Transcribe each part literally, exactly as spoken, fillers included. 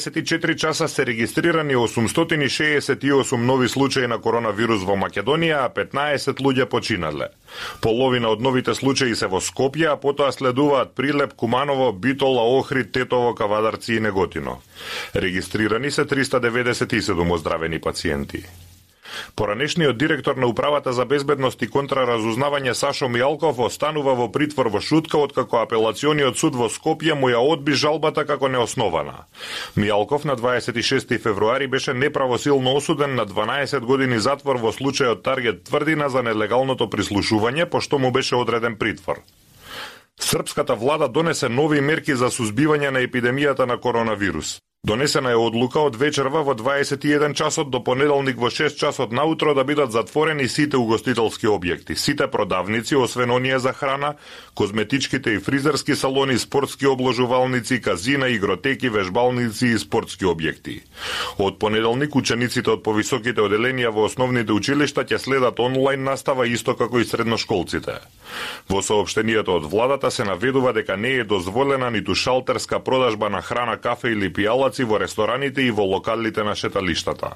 дваесет и четири часа се регистрирани осумстотини шеесет и осум нови случаи на коронавирус во Македонија, а петнаесет луѓе починале. Половина од новите случаи се во Скопје, а потоа следуваат Прилеп, Куманово, Битола, Охрид, Тетово, Кавадарци и Неготино. Регистрирани се триста деветдесет и седум оздравени пациенти. Поранешниот директор на Управата за безбедност и контраразузнавање Сашо Мијалков останува во притвор во Шутка откако апелациониот суд во Скопје му ја одби жалбата како неоснована. Мијалков на дваесет и шести февруари беше неправосилно осуден на дванаесет години затвор во случајот Таргет Тврдина за нелегалното прислушување, пошто му беше одреден притвор. Српската влада донесе нови мерки за сузбивање на епидемијата на коронавирус. Донесена е одлука од вечерва во дваесет и еден часот до понеделник во шест часот наутро да бидат затворени сите угостителски објекти, сите продавници, освен оние за храна, козметичките и фризерски салони, спортски обложувалници, казина, игротеки, вежбалници и спортски објекти. Од понеделник учениците од повисоките оделенија во основните училишта ќе следат онлайн настава исто како и средношколците. Во соопштенијето од владата се наведува дека не е дозволена ниту шалтерска продажба на храна, кафе или пијалаци во рестораните и во локалите на шеталиштата.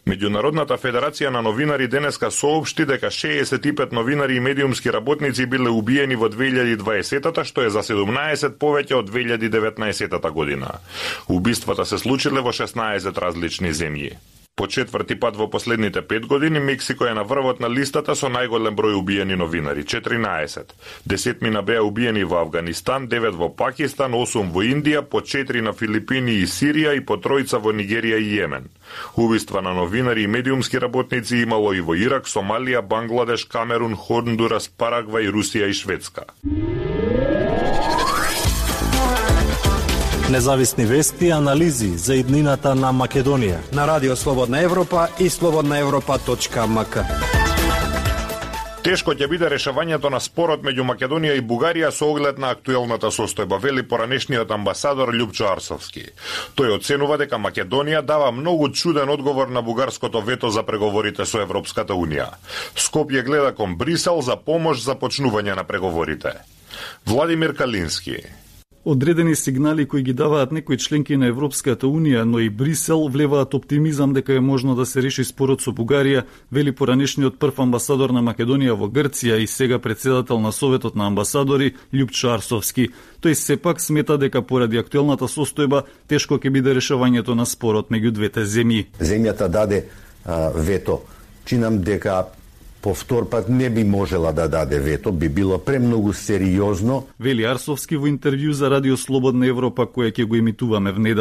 Меѓународната федерација на новинари денеска соопшти дека шеесет и пет новинари и медиумски работници биле убиени во две илјади и дваесетата, што е за седумнаесет повеќе од две илјади и деветнаесетата година. Убиствата се случиле во шеснаесет различни земји. По четврти пат во последните пет години Мексико е на врвот на листата со најголем број убиени новинари – четиринаесет. Десетмина беа убиени во Авганистан, девет во Пакистан, осум во Индија, по четири на Филипини и Сирија и по тројца во Нигерија и Јемен. Убиства на новинари и медиумски работници имало и во Ирак, Сомалија, Бангладеш, Камерун, Хондурас, Парагвај, Русија и Шведска. Независни вести и анализи за иднината на Македонија на Радио Слободна Европа и слободна европа точка ем ка. Тешко ќе биде решавањето на спорот меѓу Македонија и Бугарија со оглед на актуелната состојба, вели поранешниот амбасадор Љупчо Арсовски. Тој оценува дека Македонија дава многу чуден одговор на бугарското вето за преговорите со Европската Унија. Скопје гледа кон Брисел за помош за почнување на преговорите. Владимир Калински. Одредени сигнали кои ги даваат некои членки на Европската Унија, но и Брисел, влеваат оптимизам дека е можно да се реши спорот со Бугарија, вели поранешниот прв амбасадор на Македонија во Грција и сега председател на Советот на амбасадори Љупчо Арсовски. Тој сепак смета дека поради актуелната состојба тешко ќе биде решавањето на спорот меѓу двете земји. Земјата даде а, вето. Чинам дека повтор пат не би можела да даде вето, би било премногу сериозно. Вели Арсовски во интервју за Радио Слободна Европа, која ќе го емитуваме в недела.